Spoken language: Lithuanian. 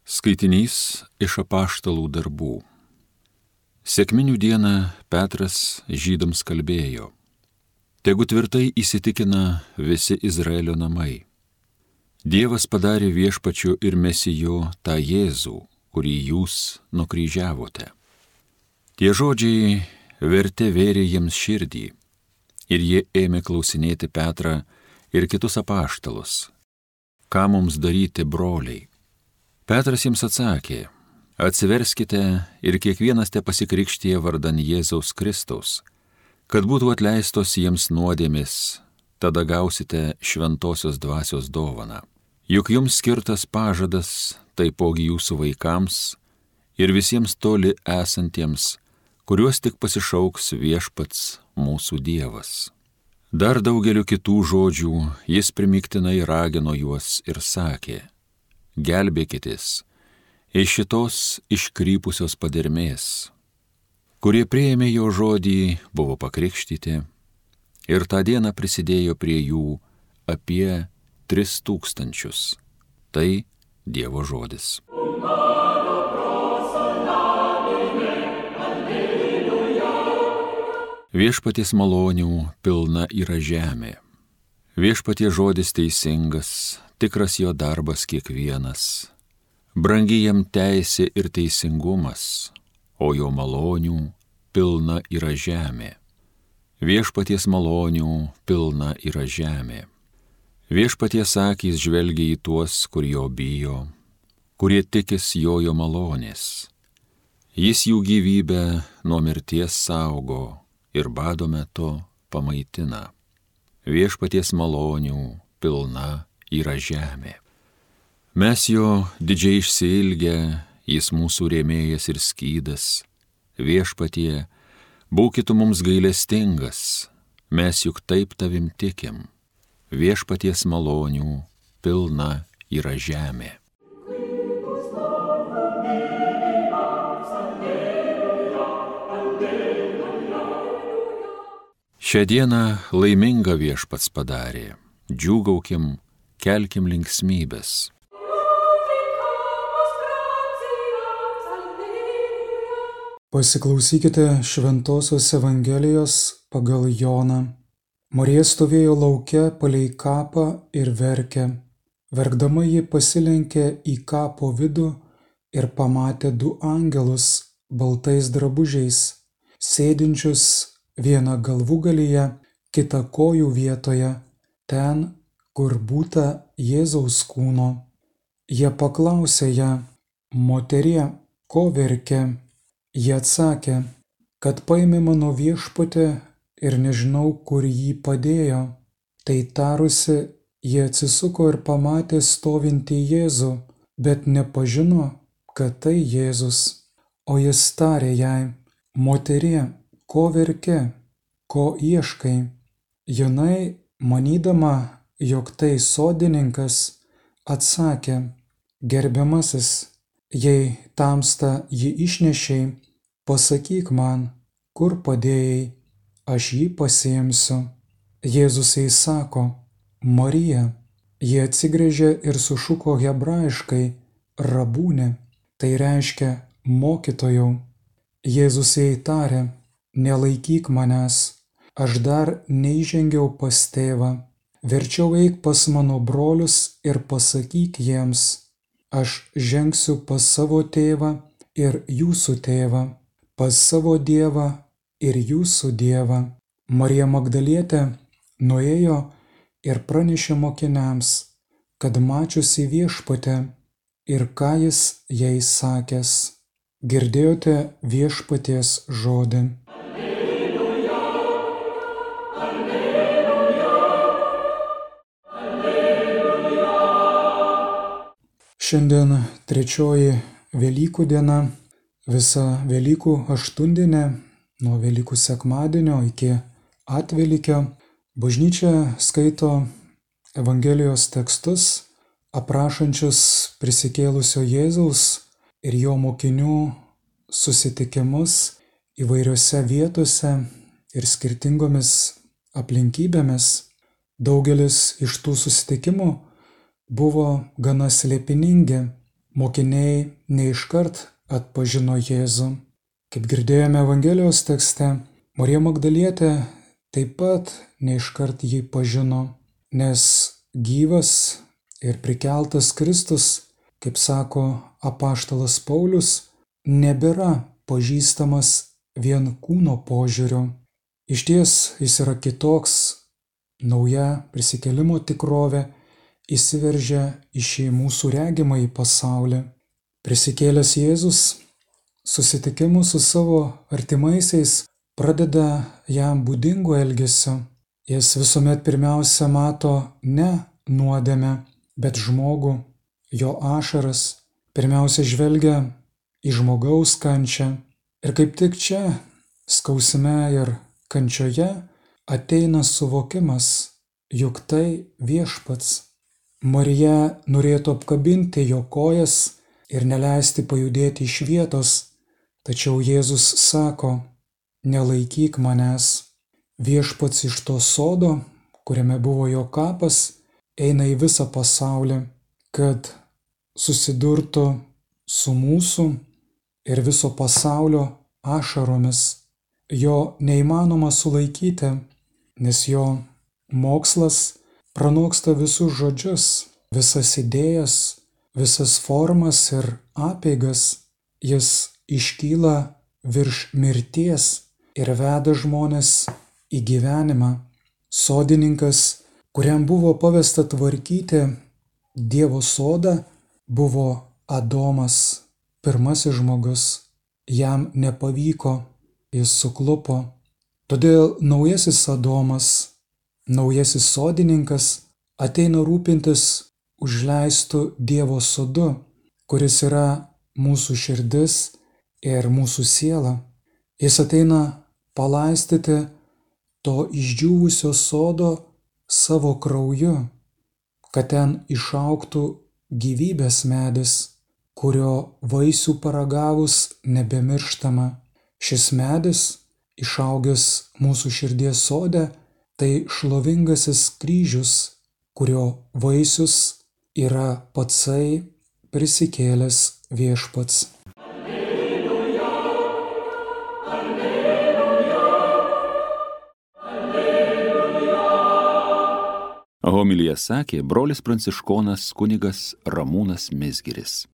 Skaitinys iš Apaštalų darbų. Sekminių dieną Petras žydams kalbėjo: Tegu tvirtai įsitikina visi Izraelio namai. Dievas padarė viešpačiu ir Mesiju tą Jėzų, kurį jūs nukryžiavote. Tie žodžiai vėrė jiems širdį, ir jie ėmė klausinėti Petrą ir kitus apaštalus: Ką mums daryti, broliai? Petras jiems atsakė: Atsiverskite ir kiekvienas te pasikrikštija vardan Jėzaus Kristaus, kad būtų atleistos jiems nuodėmės, tada gausite šventosios dvasios dovaną. Juk jums skirtas pažadas, taipogi jūsų vaikams ir visiems toli esantiems, kuriuos tik pasišauks viešpats mūsų Dievas. Dar daugeliu kitų žodžių jis primygtinai ragino juos ir sakė: Gelbėkitės iš šitos iškrypusios padermės. Kurie priėmė jo žodį, buvo pakrikštyti, ir tą dieną prisidėjo prie jų apie 3000. Tai Dievo žodis. Viešpaties malonių pilna yra žemė. Viešpaties žodis teisingas, tikras jo darbas kiekvienas. Brangi jam teisė ir teisingumas, o jo malonių pilna yra žemė. Viešpaties malonių pilna yra žemė. Viešpaties akys žvelgia į tuos, kur jo bijo, kurie tikis jo malonės. Jis jų gyvybę nuo mirties saugo ir bado metu pamaitina. Viešpaties malonių pilna yra žemė. Mes jo didžiai išsiilgę, jis mūsų rėmėjas ir skydas. Viešpatie, būkit mums gailestingas, mes juk taip tavim tikim. Viešpaties malonių pilna yra žemė. Šią dieną laimingą viešpats padarė. Džiūgaukim, kelkim linksmybės. Pasiklausykite Šventosios Evangelijos pagal Joną. Marija stovėjo lauke palei kapą ir verkė. Verkdama ji pasilenkė į kapo vidų ir pamatė 2 angelus baltais drabužiais, sėdinčius vieną galvūgalyje, kitą kojų vietoje, ten, kur būta Jėzaus kūno. Jie paklausė ją: Moterie, ko verki? Jie atsakė: kad paėmė mano viešpatį ir nežinau, kur jį padėjo. Tai tarusi, jie atsisuko ir pamatė stovintį Jėzų, bet nepažino, kad tai Jėzus. O jis tarė jai: Moterie, ko verki, ko ieškai? Jinai, manydama, jog tai sodininkas, atsakė: Gerbiamasis, jei tamsta jį išnešei, pasakyk man, kur padėjai, aš jį pasiimsiu. Jėzus jai sako: Marija. Jie atsigręžė ir sušuko hebrajiškai: Rabūne, tai reiškia mokytojau. Jėzus jai tarė: Nelaikyk manęs, aš dar neįžengiau pas tėvą. Verčiau eik pas mano brolius ir pasakyk jiems: aš žengsiu pas savo tėvą ir jūsų tėvą, pas savo Dievą ir jūsų Dievą. Marija Magdalietė nuėjo ir pranešė mokiniams, kad mačiusi viešpatę ir ką jis jai sakęs. Girdėjote viešpaties žodį. Šiandien 3 Velykų diena, visa Velykų aštuondienė, nuo Velykų sekmadienio iki atvelykio. Bažnyčia skaito Evangelijos tekstus, aprašančius prisikėlusio Jėzaus ir jo mokinių susitikimus įvairiose vietose ir skirtingomis aplinkybėmis. Daugelis iš tų susitikimų buvo gana slėpiningi, mokiniai neiškart atpažino Jėzų. Kaip girdėjome Evangelijos tekste, Marija Magdalietė taip pat neiškart jį pažino, nes gyvas ir prikeltas Kristus, kaip sako apaštalas Paulius, nebėra pažįstamas vien kūno požiūriu. Išties jis yra kitoks, nauja prisikėlimo tikrovė įsiveržia į šį mūsų regimąjį pasaulį. Prisikėlęs Jėzus susitikimus su savo artimaisiais pradeda jam būdingu elgesiu. Jis visuomet pirmiausia mato ne nuodėmę, bet žmogų, jo ašaras, pirmiausia žvelgia į žmogaus kančią. Ir kaip tik čia, skausme ir kančioje, ateina suvokimas, juk tai Viešpats. Marija norėtų apkabinti jo kojas ir neleisti pajudėti iš vietos, tačiau Jėzus sako: nelaikyk manęs. Viešpats iš to sodo, kuriame buvo jo kapas, eina į visą pasaulį, kad susidurtų su mūsų ir viso pasaulio ašaromis. Jo neįmanoma sulaikyti, nes jo mokslas pranoksta visus žodžius, visas idėjas, visas formas ir apeigas. Jis iškyla virš mirties ir veda žmones į gyvenimą. Sodininkas, kuriam buvo pavesta tvarkyti Dievo sodą, buvo Adomas, pirmasis žmogus. Jam nepavyko, jis suklupo. Todėl naujasis Adomas, naujasis sodininkas ateina rūpintis užleistų Dievo sodu, kuris yra mūsų širdis ir mūsų siela. Jis ateina palaistyti to išdžiūvusio sodo savo krauju, kad ten išaugtų gyvybės medis, kurio vaisių paragavus nebemirštama. Šis medis, išaugęs mūsų širdies sode, tai šlovingasis kryžius, kurio vaisius yra patsai prisikėlęs Viešpats. Alleluja, alleluja, alleluja. Homiliją sakė brolis pranciškonas kunigas Ramūnas Mizgiris.